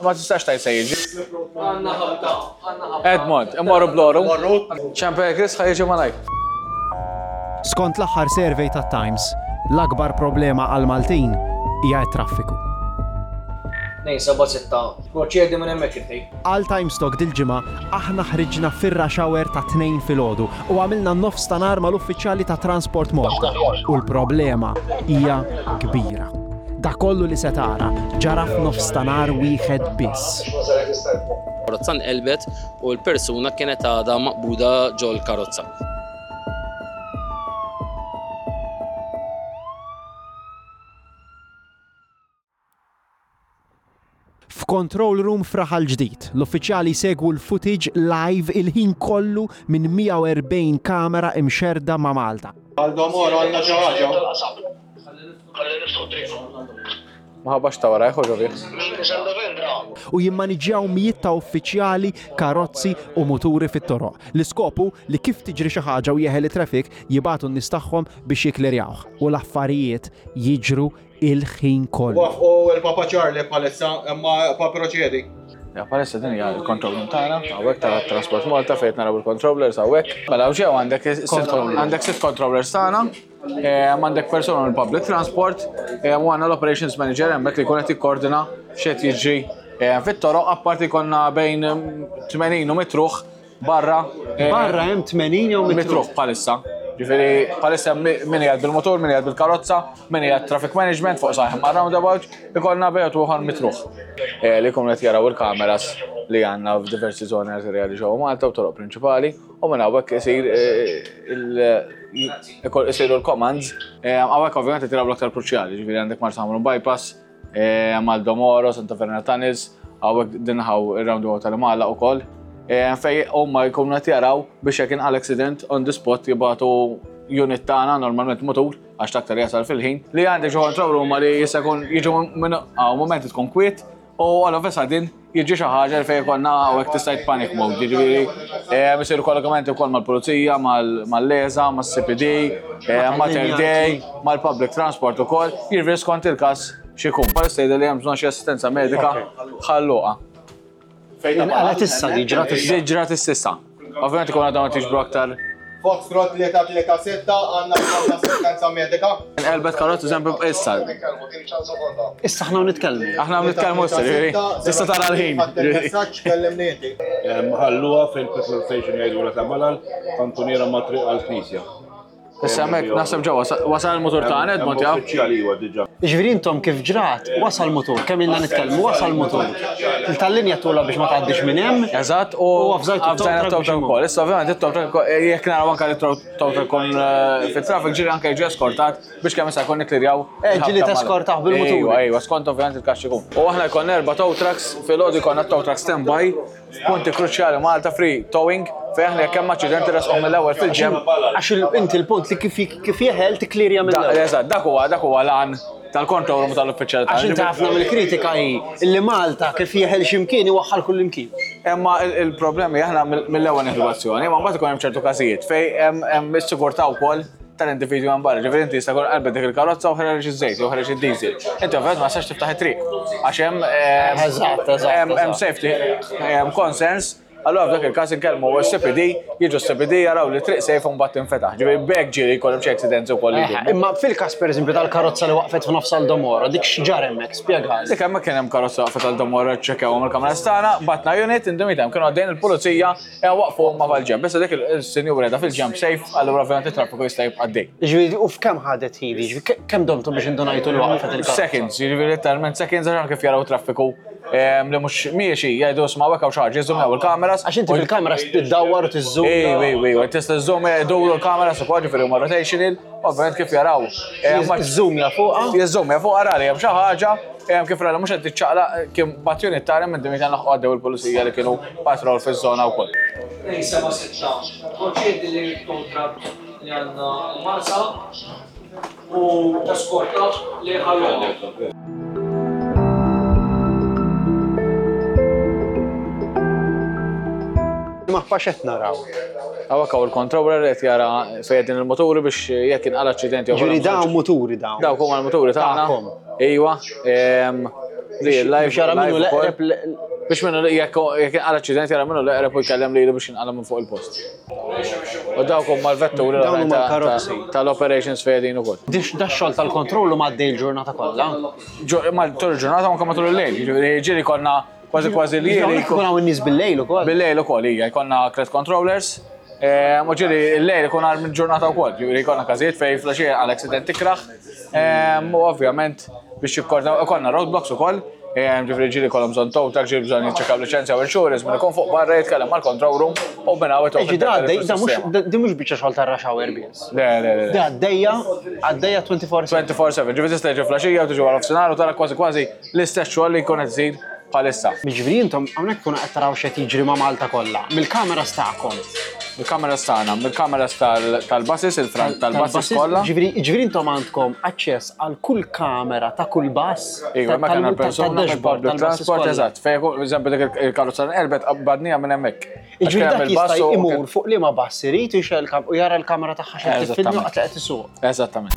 Ma tistax tgħid se jiġi. Edmond, immorru bloru. Ċempel Chris ħa jiġi malajr. Skont l-aħħar survey tat-Times, l-akbar problema għall-Maltin hija t-traffiku. 276, Proċedi minn hemmhekk inti. Għal Times Talk dil-ġimgħa aħna ħriġna fir-rush hour tat-Tnejn filgħodu u għamilna nofs ta' nhar mal-uffiċjali ta' Transport Malta u l-problema hija kbira. Dak kollu li se tara ġara f'nofs ta' nhar wieħed biss. Karozza nqelbet u l-persuna kienet għadha maqbuda ġol-karozza. F'control room f'Raħal Ġdid, l-uffiċjali jsegwu l-footage live il-ħin kollu minn 140 kamera imxerrda ma' Malta. Aldo Moro għandna xi ħaġa. Ma ħabbax ta' warajh u ġo fih. U jimmaniġġjaw mijiet ta' uffiċjali, karozzi u muturi fit-toroq. L-iskop hu li kif tiġri xi ħaġa u jeħel it-traffic, jibagħtu n-nies tagħhom biex jikklirjawh. U l-affarijiet jiġru il-ħin kollu. Wafqu il-Papa Charlie bħalissa, imma pa proċedi. Ja, bħalissa din hija l-control room tagħna, hawnhekk ta' Transport Malta fejn naraw il-controllers hawnhekk. Mela hawn ġew għandek għandek sitt controllers tagħna, eh, għandek persuna mill-public transport, eh, u għandna l-operations manager hemmhekk li jkun qed jikkoordina x'qed jiġri eh, fit-toroq apparti konna bejn 80 u mitruħ Barra. Eh, Barra hemm 80 jew mitruħ bħalissa. Ġifieri bħalissa min qiegħed bil-motur, min qiegħed bil-karozza, min qiegħed traffic management fuq saħ ma' roundabout, ikollna bejgħet uħor mitruħ. Eh, li jkunu qed jaraw il-kameras li għandna f'diversi żoni arterjali ġewwa Malta u toroq prinċipali u minn hawnhekk isir eh, isiru l-commands. Hawnhekk ovvjament qed jaraw l-aktar kruċjali, ġifieri għandek Marsa Ħamrun bypass, Maldo Moro, Santa Verna Tunnels, hawnhekk dinħaw ir-roundabout tal-Imgħallaq ukoll. Fej huma jkunu qed jaraw biex jekk inqal accident on the spot jibgħatu unit tagħna normalment mutur għax l-aktar jasal fil-ħin li għandek ġo control room li jista' jkun jiġu minn hawn mument tkun kwiet u all of a sudden jiġi xi ħaġa li fejn ikollna hawnhekk tista' tgħid panic mode, jiġifieri eh, isiru kollegamenti wkoll mal-pulizija, mal-LESA, mas-CPD, eh, Mater Dei, mal-public transport ukoll, jiġifieri skont il-każ x'ikun. Bħalissa jidher li hemm bżonn xi assistenza medika ħalluqa. Inqalgħet issa di ġrat issa. Di ġrat issa. Ovvjament ikun għadhom qed jiġbru aktar. Foxtrot 336 għandna bżonn assistenza medika. Inqelbet karozza eżempju issa. Issa aħna nitkellmu. Aħna nitkellmu issa, ġifieri. Tista' tara l-ħin. Messaġġ kellimni inti. Ħalluha fil-petrol station jgħidulha ta' Malal, kantuniera ma' triq għall-Knisja. Issa hemmhekk naħseb ġewwa wasal il-mutur ta' Edmond jaf. Uffiċjali huwa diġà. Jiġifieri intom kif ġrat, wasal mutur, kemm ilna nitkellmu, wasal mutur. Tal-linja tula biex ma tgħaddix minn hemm. Eżatt, u avżajtu avżajna t-tow truck ukoll. Issa ovvjament it-tow truck jekk naraw anke li tow truck ikun eh, fit-traffic ġieli anke jiġi eskortat biex kemm issa jkun nikklirjaw. Eh, ġieli teskortah bil-mutur. Ejwa, ejwa, skont ovvjament il-każ ikun. U aħna jkollna erba' tow trucks, filgħodu jkollna tow truck standby Punti kruċjali Malta free towing fejn aħna jekk hemm aċċident irresqhom mill-ewwel fil-ġenb. Għax inti l-punt li kif kif jeħel tikklirja mill-ewwel. Eżatt, dak huwa dak huwa l-għan tal-control room tal-uffiċjali Għax inti ħafna mill-kritika hi li Malta kif jeħel x'imkien iwaħħal kullimkien. Imma il-problemi aħna mill-ewwel nieħdu azzjoni, imma mbagħad ikun hemm ċertu każijiet fejn hemm is-sigurtà wkoll tal-individwi minn barra. Ġifieri inti jista' jkun qalbet dik il-karozza u ħareġ iż-żejt jew ħareġ id-diesel. Inti ovvjament ma tistax tiftaħ it-triq għax hemm eh, Eżatt, eżatt, hemm eżatt. safety hemm concerns Allura f'dak il-każ inkellmu s-CPD, jiġu s-CPD jaraw li triq safe u mbagħad tinfetaħ. Ġifieri b'hekk ġieli jkollhom xi accidents ukoll li jdumu. Imma fil-każ pereżempju tal-karozza li waqfet f'nofs Aldomoro, dik x'ġara hemmhekk, spjegali. Dik hemmhekk kien hemm karozza waqfet Aldomoro ċċekkjawhom il-kameras tagħna, batna unit, in the meantime kienu għaddejjin il-pulizija Ejja waqfu huma mal-ġenb. Issa dik il-sinjura qiegħda fil-ġenb safe, allura ovvjament it-traffiku jista' jibqa' għaddej. Jiġifieri u f'kemm ħadet ħin? Jiġifieri kemm domtu biex indunajtu li waqfet il-karozza? Seconds, jiġifieri letteralment seconds għax anke kif jaraw traffiku ehm, li mhux miexi jgħidu isma' hawnhekk hawn xi ħaġa, jiżżumjaw il-kameras. Għax inti bil-kameras tiddawwar u tiżżumja. Ejwa, ejwa, ejwa, tista' żżomm iduru l-kameras ukoll ġifieri huma rotational, ovvjament kif jaraw. Ehm, Jiżżumja fuqha? Jiżżumja fuqha rari hemm xi ħaġa Kif rajna mhux qed tiċċaqlaq kien battjoni tara minn dimita laħqu għaddew il-pulizija li kienu patrol fiż-żona wkoll. 276. Proċedi li l-tow truck li għandna l-Marsa u eskortah lejn Ħal Luqa. Mappa x'qed naraw? Hawnhekk hawn il-controller li qed jara fejn qegħdin il-muturi biex jekk inqala' aċċident jew Ġifieri dawn muturi dawn. Dawk huma l-muturi tagħna. Tagħkom. Iwa. Real life. Biex jara minnu live ukoll. l-eqreb Biex minnu jekk jekk inqala aċċident jara minnu l-eqreb u jkellem lilu biex jinqala minn fuq il-post. U dawk huma l-vetturi Dawn huma l-oħrajn ta- l-karozzi. ta- tal-operations fejn qegħdin ukoll. Dix da xogħol tal-kontrollu m'għaddej il-ġurnata kollha. Ma tul il-ġurnata anke matul il-lejl, jiġifieri ġieli konna kważi kważi li Hawnhekk ikun hawn in-nies bil-lejl ukoll. Bil-lejl ukoll hija jkollna credit controllers. U ġieli il-lejl ikun għal minn ġurnata wkoll, ġifieri jkollna każijiet fejn flaxija għal accident ikraħ. U ovvjament biex jikkordaw ikollna roadblocks ukoll. Ġifieri ġieli kollhom bżonn tow truck, ġieli bżonn jiċċekkjaw liċenzja u insurance minn ikun fuq barra jitkellem mal-control room u minn hawn Eġi da għaddej, da mhux di mhux biċċa xogħol tar-rush hour biss. Le, le, le. Da għaddejja, għaddejja 24/7. 24/7, ġifieri tista' tiġi flaxija u tiġi wara nofsinhar u tara kważi kważi l-istess xogħol li jkun qed isir bħalissa. Jiġifieri intom hawnhekk tkunu qed taraw x'qed jiġri ma' Malta kollha, mill-kameras tagħkom. Mill-kameras tagħna, mill-kameras tal-buses, il-front tal-buses kollha. Ġifieri ġifieri intom għandkom aċċess għal kull kamera ta' kull bus. Iva, ma kellna persuna tad-dashboard mill-public tal-buses transport, kollha. eżatt. Fejn jkun, eżempju, dik il-karozza nqelbet qabadnija minn hemmhekk. Għax Jiġifieri kien hemm dak il-bus jista' u- imur fuq liema bus irid u jxel u jara l-kamera tagħha x'qed tiffilmja Eżattament. waqt li qed isuq. Eżattament.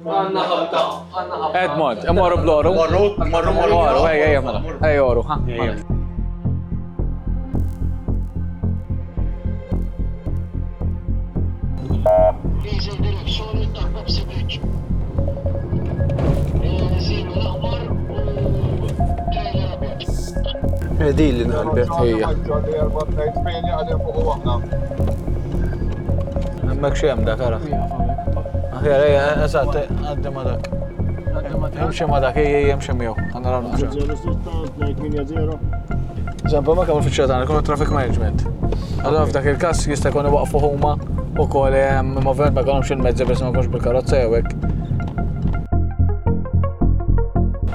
Għanna ħabta, għanna ħabta. Edmond, imorru bloru. Morru, morru, morru. Morru, ejja, ejja, mela. Ejja, oru, ha. Diesel direzzjoni ta' Pepsi Bridge. Zinu l-aħmar u trailer abjad. Din li nqalbet. Ejja. Hemmhekk xi hemm dak ara. Aħjar, ejja, eżatt, għaddi ma dak. Imxi ma dak, ejja, ejja, imxi miegħu. Ħa naraw naqra. Eżempju, ma kemm uffiċjal tagħna jkunu traffic management. Allora f'dak il-każ jista' jkun iwaqfu huma wkoll imma ovvjament ma jkollhomx il-mezzi biex ma jkunx bil-karozza jew hekk.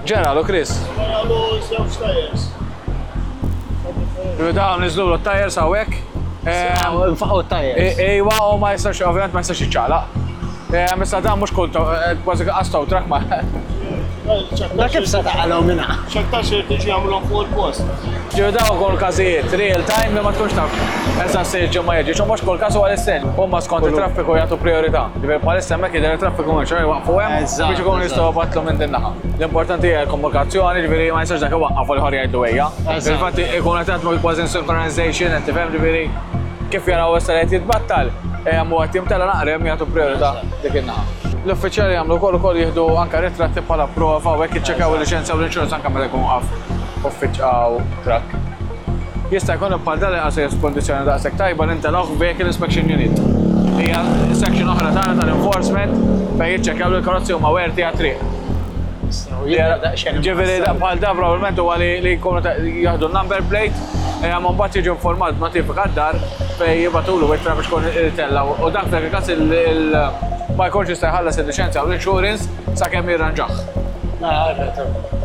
Ġeralu, Chris. Dawn niżlu l-tajers hawnhekk. Nfaqgħu t-tajers. Ejwa, u ma jistax, ovvjament ma jistax jiċċaqlaq. Issa dan mhux kull kważi qas tow truck ma. Da kif se taqalgħu minnha? X'aktarx irid tiġi jagħmluhom fuq il-post. Ġew dawn ukoll każijiet real time li ma tkunx taf eżatt se jiġi u ma jiġix, u mhux kull każ huwa l-istess. Huma skont it-traffiku jagħtu priorità. Ġifieri bħalissa hemmhekk jidher it-traffiku mhux jwaqfu hemm biex ikunu jistgħu jbattlu minn din naħa. L-importanti hija l-komunikazzjoni, ġifieri ma jistax dak iwaqqaf u l-ieħor jgħidlu ejja. Fil-fatt ikun qed jaħdmu kważi synchronization, qed tifhem ġifieri kif jaraw issa li qed jitbattal, hemm u qed jimtela naqra hemm jagħtu priorità dik in-naħa. L-uffiċjali jagħmlu wkoll ukoll jieħdu anke ritratti bħala prova u hekk jiċċekkjaw il-liċenzja u l-insurance anke meta jkun waqaf uffiċ trakk. Jista' jkun bħal dan li qas f'kondizzjoni daqshekk tajba li ntelgħuh Vehicle Inspection Unit. Hija section oħra tagħna tal-enforcement fejn jiċċekkjaw li l-karozzi huma werti għat-triq. Ġifieri bħal da probabbilment huwa li jkunu jieħdu n-number plate, ma mbagħad jiġu informat b'notifika d-dar fejn jibgħatulu ittra biex ikun itella' u dak f'dak il-każ ma jkunx jista' jħallas il-liċenzja u l-insurance sakemm jirranġah.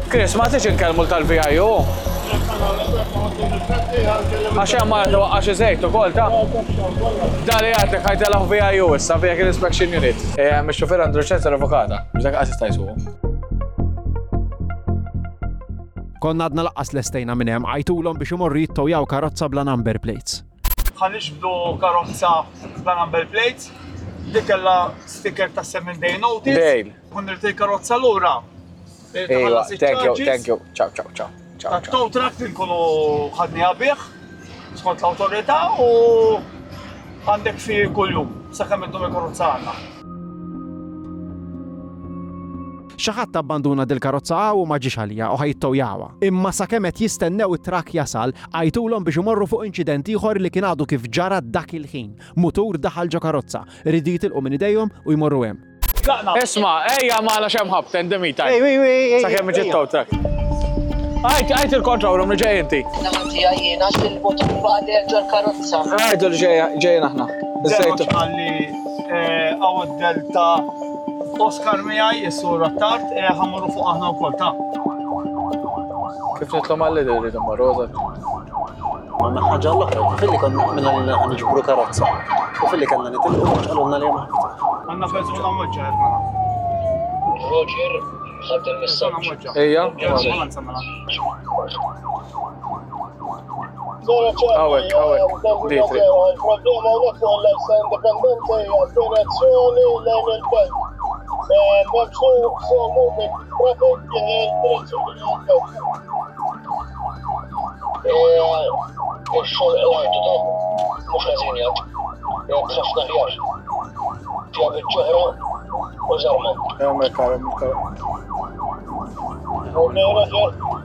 Chris, ma tix inkellmu tal-VIU? Għax hemm ma twaqqax iżejt ukoll ta' Da li għadlek ħajtelgħu VIU issa Vehicle Inspection Unit. Ix-xufier għandu liċenzja revokata, biex dak qas jista' jsuqu. Konna għadna laqqas lestejna minn hemm, għajtulhom biex imorru jittowjaw karozza bla number plates. Ħa niġbdu karozza bla number plates, dik kellha sticker ta' 7 day notice. Dale. Kun irid il-karozza lura. Ejwa, thank you, thank you. Ciao, ciao, ciao. Ciao, ciao. Tow truck li nkunu ħadniha bih skont l-awtorità u għandek fi kuljum sakemm iddum il-karozza għandna. Xi ħadd abbanduna dil-karozza hawn u ma ġiex għaliha u ħa jittowjawha. Imma sakemm qed jistennew it-trakk jasal, għajtulhom biex imorru fuq inċident ieħor li kien għadu kif ġara dak il-ħin. Mutur daħal ġo karozza. Riedu jitilqu minn idejhom u jmorru hemm. Isma', ejja magħna x'hemm ħabt, in the meantime. Ej, ej, ej, ej, Sakemm iġi ejja. t-tow truck. Għajt, għajt il-control room li ġej inti. Naħa jiena xil-motur baqder ġol karozza. Għajdu li ġejjin aħna. Żewġ għalli għaw delta Oscar miegħi is-sur Attard ħammurru fuq aħna wkoll ta' Kif nitlu mal-lider rridu mmorru eżatt. Għandna ħaġa l-oħra, filli konna minna li niġbru karozza. U filli kellna nitilqu mhux qalulna li hemm ħabta. Għandna persuna mweġġa' qed mela. Roger, ħadd il-messaġġ. Ejja. Ambulanza mela. Hawnhekk, hawnhekk. Dietri. Il-problema hawnhekk fuq l-Independente hija direzzjoni lejn il-belt. Hemm slow moving traffic direzzjoni Ix-xogħol qlajtu ta' mhux ħażin jgħid. Jgħid ħafna ħjar. Fiha biċċa oħra u żarma. Hemmhekk ara Okay, Roger.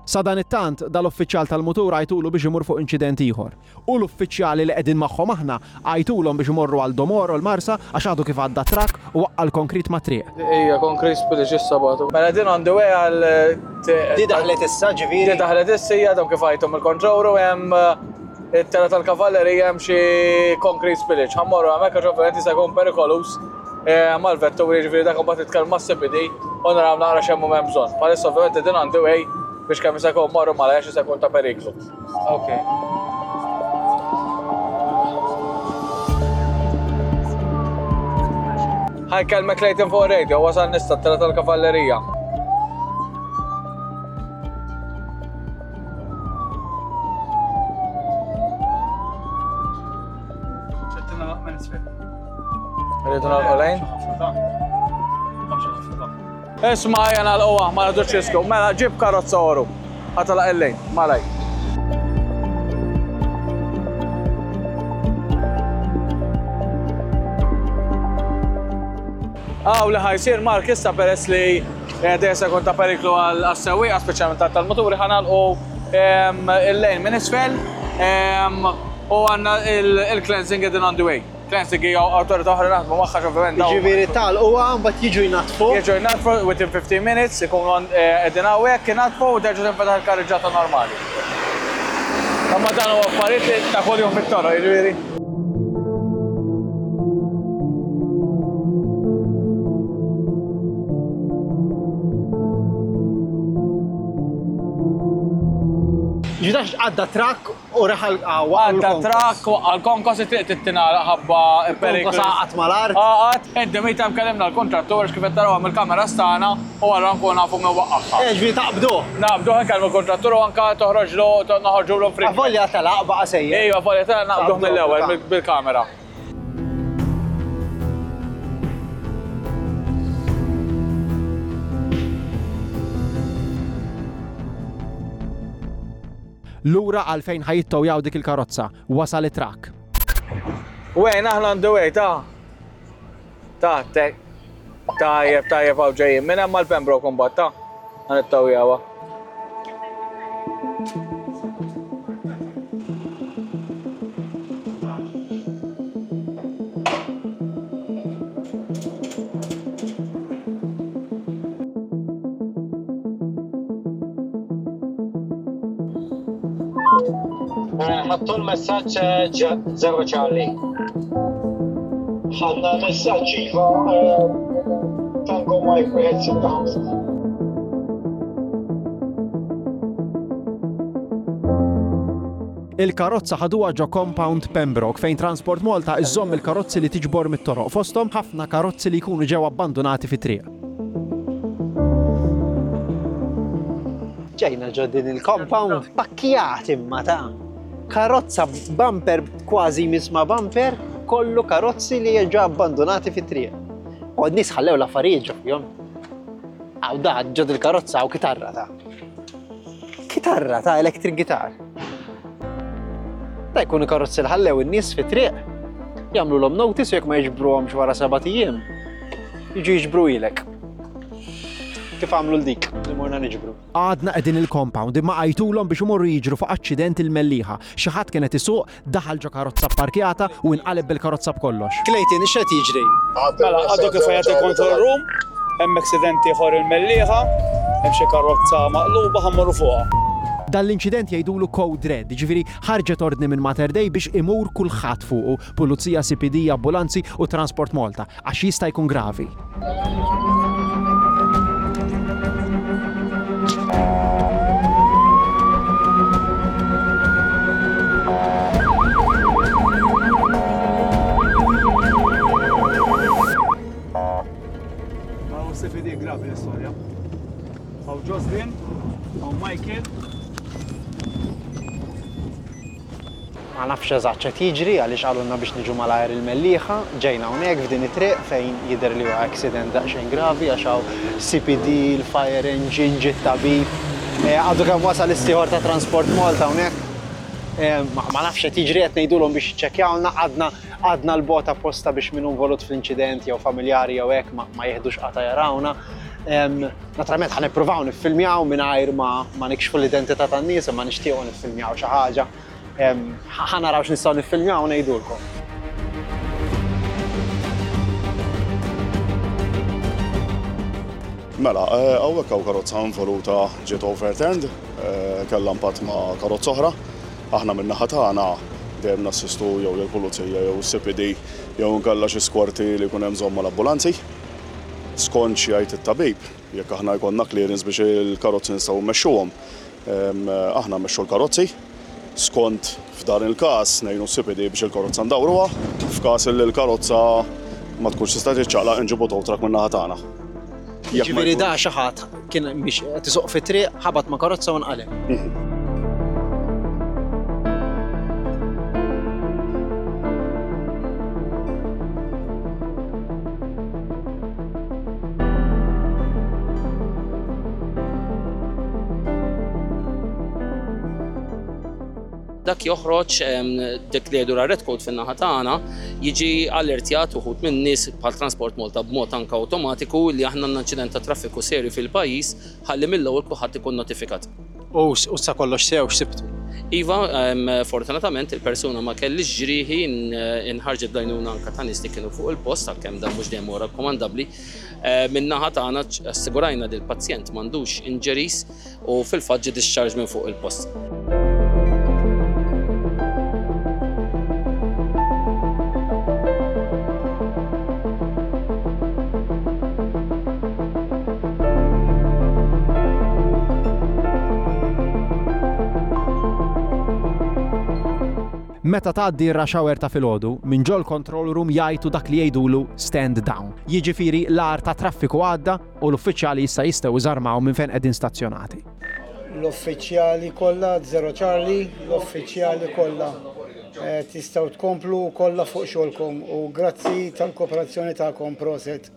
Sadanittant, dal-uffiċjal tal-mutur għajtulu biex imur fuq inċident ieħor. U l-uffiċjali li qegħdin magħhom aħna għajtulhom biex imorru għal Domoro l-Marsa għax għadu kif għadda trakk u waqqa' l-konkrit mat-triq. Ija, konkrit spillage issa bagħtu. Mela din on the way għal. Di daħlet issa ġifieri? Di daħlet issa hija għadhom kif għajtu mill-control room hemm it-tela tal-kavallerija hemm xi concrete spillage. Ħa mmorru hemmhekk għax ovvjament jista' jkun perikoluż mal-vetturi jiġifieri dak imbagħad nitkellmu mas-CPD u naraw naqra x'hemm u m'hemm bżonn. Bħalissa ovvjament qegħdin on the way biex kemm jista' jkun mmorru malajr għax jista' jkun ta' periklu. Ok. Ħa nkellmek Clayton fuq radio, wasal nista t-tela tal-kavallerija. Rridu nagħlqu lejn? Isma' ejja nagħlquha, ma nagħdux riskju. Mela ġib karozza oru. Ħa tagħlaq il-lejn, malaj. Aw li ħajsir Mark issa peress li eh, dejja se jkun ta' periklu għas-sewwieqa speċjalment tal-muturi ħanalqu ehm, il-lejn minn isfel ehm, u għandna il-cleansing qegħdin on the way. Cleansing hija awtorità oħra naħdmu magħha ovvjament. Jiġifieri tagħlquha mbagħad jiġu jnaddfu. Jiġu jnaddfu within 15 minutes ikunu eh, qegħdin hawnhekk inaddfu u terġa' tinfetaħ il-karriġġata normali. Imma dan huwa affarijiet li ta' kuljum fit-toroq, jiġifieri. Ġidax għadda trakk U reħal Għadda trakk, waqqa' l-konkos, it-triq trid tingħalaq ħabba periklu. Konkos għaqad mal-art. Għaqad, in the meantime kellimna l-kuntrattur għax kif qed tarawha mill-kameras tagħna u allura nkunu nafu min waqqagħha. Eh, ġifieri taqbduh. Naqbduh, inkellmu l-kuntrattur u anke toħroġlu, noħorġulu free. Avolja telaq baqa' sejjer. Ejwa, avolja telaq naqbduh mill-ewwel bil-kamera. Lura għal fejn ħa jittowjaw dik il-karozza, wasal it-trakk. Wayne, aħna on the way, ta. Ta, te. Tajjeb, tajjeb, hawn ġejjin. Minn hemm għal Pembroke mbagħad, ta. Ħa nittowjawha. Ħadtu l-messaġġ Zero Charlie. Ħadna l-messaġġ iva Tango Mike 165. Il-karozza ħaduha ġo compound Pembroke fejn Transport Malta iżżomm il-karozzi li tiġbor mit-toroq fosthom ħafna karozzi li jkunu ġew abbandunati fit-triq. Ġejna ġo din il-compound pakkjat imma ta' karozza bumper kważi jmiss ma' bumper, kollu karozzi li ġo abbandunati fit-triq. U n-nies ħallew l-affarijiet ġo fihom. Għaw da ġo dil-karozza hawn kitarra ta'. Kitarra ta' electric guitar. Da jkunu karozzi li ħallew in-nies fit-triq. Jagħmlulhom notice u jekk ma jiġbruhomx wara sebat ijiem, jiġu jiġbru ilek. Kif għamlu l-dik li morna niġbru. Għadna qegħdin il-compound imma għajtulhom biex imorru jiġru fuq aċċident il-Mellieħa. Xi ħadd kien qed isuq, daħal ġo karozza pparkjata u inqaleb bil-karozza b'kollox. Clayton, x'qed jiġri? Mela, għadu kif għajat il-control room, hemm accident ieħor il-Mellieħa, hemm xi karozza maqluba ħa mmorru fuqha. Dan l-inċident jgħidulu code red, jiġifieri ħarġet ordni minn Mater Dei biex imur kulħadd fuqu, pulizija, CPD, ambulanzi u Transport Malta. Għax jista' jkun gravi. Ma nafx eżatt x'qed jiġri għaliex qalulna biex niġu malajr il-Mellieħa. Ġejna hawnhekk f'din it-triq fejn jidher li huwa accident daqsxejn gravi għax hawn CPD, il-fire engine, ġie t-tabib. Għadu kemm wasal is-sieħor ta' Transport Malta hawnhekk. Ma nafx x'qed jiġri qed ngħidulhom biex jiċċekkjawlna għadna għadna 'l bogħod apposta biex min hu involut fl-inċident jew familjari jew hekk ma jieħdux qatgħa jarawna. Naturalment ħa nippruvaw niffilmjaw mingħajr ma ma nikxfu l-identità tan-nies imma nixtiequ niffilmjaw xi ħaġa. Ħa naraw x'nistgħu niffilmjaw u ngħidulkom. Mela, hawnhekk hawn karozza involuta ġiet overturned, kellha impatt ma' karozza oħra. Aħna min-naħa tagħna dejjem nassistu jew lill-pulizija jew is-CPD jew inkella xi skorti li jkun hemm bżonn mal-ambulanzi. Skont x'jgħid it-tabib, jekk aħna jkollna clearance biex il-karozzi nistgħu mmexxuhom, aħna mmexxu l-karozzi. Skont f'dan il-każ ngħinu s-CPD biex il-karozza ndawruha, f'każ li l-karozza ma tkunx tista' tiċċaqlaq inġibu tow truck min-naħa tagħna. Jiġifieri da xi ħadd kien biex qed isuq fit-triq ħabat ma' karozza u nqaleb. Dak joħroġ dik li jgħidu red code fin-naħa tagħna jiġi allertjat uħud minn nies bħal Transport Malta b'mod anke awtomatiku li aħna għandna inċident ta' traffiku serju fil-pajjiż ħalli mill-ewwel kulħadd ikun notifikat. U sa kollox sew x'sibtu? Iva, fortunatament il-persuna ma kellhiex ġrieħi, inħarġet bl-għajnuna anke ta' nies li kienu fuq il-post għalkemm dan mhux dejjem huwa rakkomandabbli. Min-naħa tagħna assigurajna li l-pazjent m'għandux injuries u fil-fatt ġie discharged minn fuq il-post. Meta tgħaddi r-rush hour ta' filgħodu, minn ġol-control room jgħajtu dak li jgħidulu stand down. Jiġifieri l-agħar tat-traffiku għadda u l-uffiċjali issa jistgħu jżarmaw minn fejn qegħdin stazzjonati. L-uffiċjali kollha, Zero Charlie, l-uffiċjali kollha tistgħu tkomplu kollha fuq xogħolkom u grazzi tal-kooperazzjoni tagħkom, proset.